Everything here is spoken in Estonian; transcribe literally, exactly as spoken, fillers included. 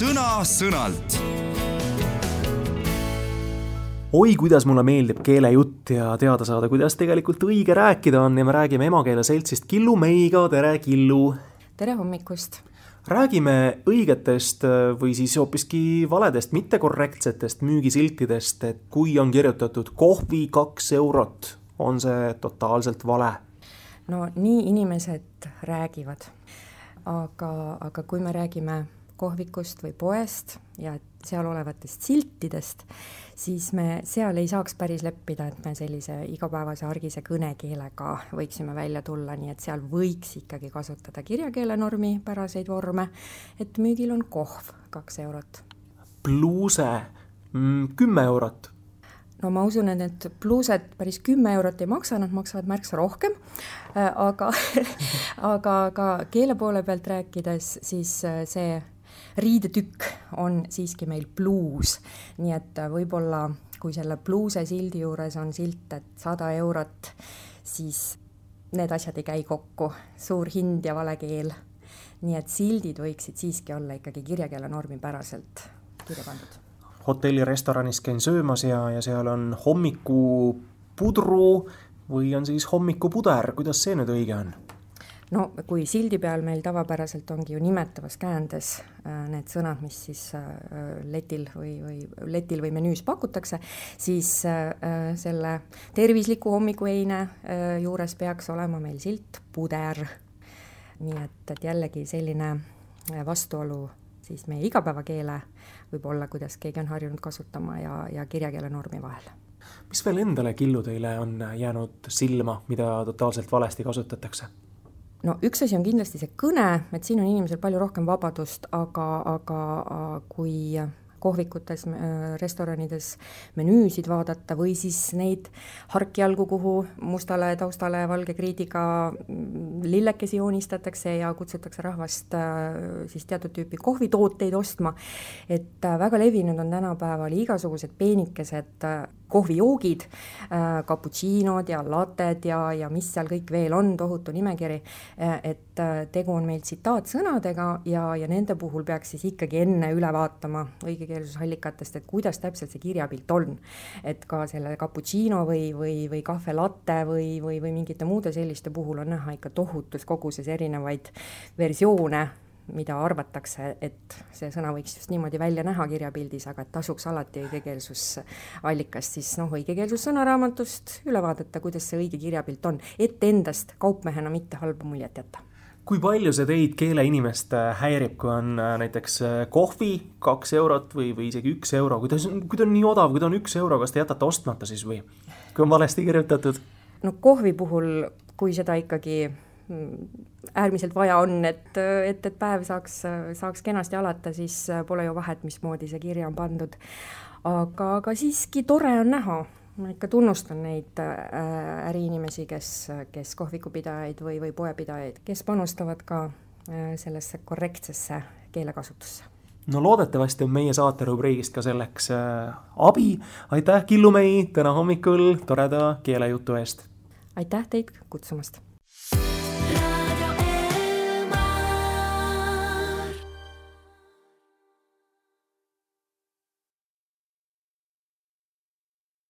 sõna-sõnalt. Oi, kuidas mulle meeldib keelejutt ja teada saada, kuidas tegelikult õige rääkida on ja me räägime emakeele seltsist Killu Meiga. Tere, Killu! Tere hommikust! Räägime õigetest või siis hoopiski valedest, mittekorrektsetest müügisiltidest, et kui on kirjutatud kohvi kaks eurot, on see totaalselt vale. No nii inimesed räägivad, aga, aga kui me räägime kohvikust või poest ja seal olevatest siltidest, siis me seal ei saaks päris leppida, et me sellise igapäevase argise kõnekeelega võiksime välja tulla, nii et seal võiks ikkagi kasutada kirjakeelenormi päraseid vorme, et müügil on kohv kaks eurot. Pluuse mm, kümme eurot. No ma usun, et need pluused päris kümme eurot ei maksa, nad maksavad märksa rohkem, aga, aga ka keele poole pealt rääkides, siis see riidetükk on siiski meil pluus, nii et võib-olla kui selle pluuse sildi juures on silt, et sada eurot, siis need asjad ei käi kokku, suur hind ja vale keel. Nii et sildid võiksid siiski olla ikkagi kirjakeelenormi päraselt kirja pandud. Hotelli restoranis käin söömas ja, ja seal on hommikupudru või on siis hommikupuder, kuidas see nüüd õige on? No kui sildi peal meil tavapäraselt ongi ju nimetavas käändes need sõnad, mis siis letil või, või, letil või menüüs pakutakse, siis selle tervisliku hommikueine juures peaks olema meil silt puder. Nii et, et jällegi selline vastuolu siis meie igapäevakeele võib olla, kuidas keegi on harjunud kasutama ja, ja kirjakeele normi vahel. Mis veel endale Killu teile on jäänud silma, mida totaalselt valesti kasutatakse? No üks asi on kindlasti see kõne, et siin on inimesel palju rohkem vabadust, aga, aga kui kohvikutes, restoranides menüüsid vaadata või siis neid harkjalgu, kuhu mustale taustale valge kriidiga lillekesi joonistatakse ja kutsutakse rahvast siis teatud tüüpi kohvitooteid ostma, et väga levinud on tänapäeval igasugused peenikesed kohvijoogid, cappuccinod ja lated ja, ja mis seal kõik veel on, tohutu nimekiri, et tegu on meil tsitaatsõnadega ja, ja nende puhul peaks siis ikkagi enne üle vaatama õigekeelsusallikatest, et kuidas täpselt see kirjapilt on. Et ka selle cappuccino või, või, või kahve latte või, või, või mingite muude selliste puhul on näha ikka tohutus koguses erinevaid versioone, mida arvatakse, et see sõna võiks just niimoodi välja näha kirjapildis, aga et tasuks alati õigekeelsusallikast, siis noh, õigekeelsus sõnaraamatust üle vaadata, kuidas see õige kirjapilt on, et endast kaupmehena mitte halba muljet jätta. Kui palju see teid keeleinimest häirib, kui on näiteks kohvi kaks eurot või, või isegi üks euro, kui ta, kui ta on nii odav, kui ta on üks euro, kas te jätate ostmata siis või? Kui on valesti kirjutatud? No kohvi puhul, kui seda ikkagi äärmiselt vaja on, et, et, et päev saaks, saaks kenasti alata, siis pole ju vahet, mismoodi see kirja on pandud. Aga, aga siiski tore on näha. Ma ikka tunnustan neid äriinimesi, kes, kes kohvikupidajaid või, või poepidajaid, kes panustavad ka sellesse korrektsesse keelekasutusse. No loodetavasti on meie saate rubriigist ka selleks abi. Aitäh, Killu Mei, täna hommikul toreda keelejutu eest. Aitäh teid kutsumast.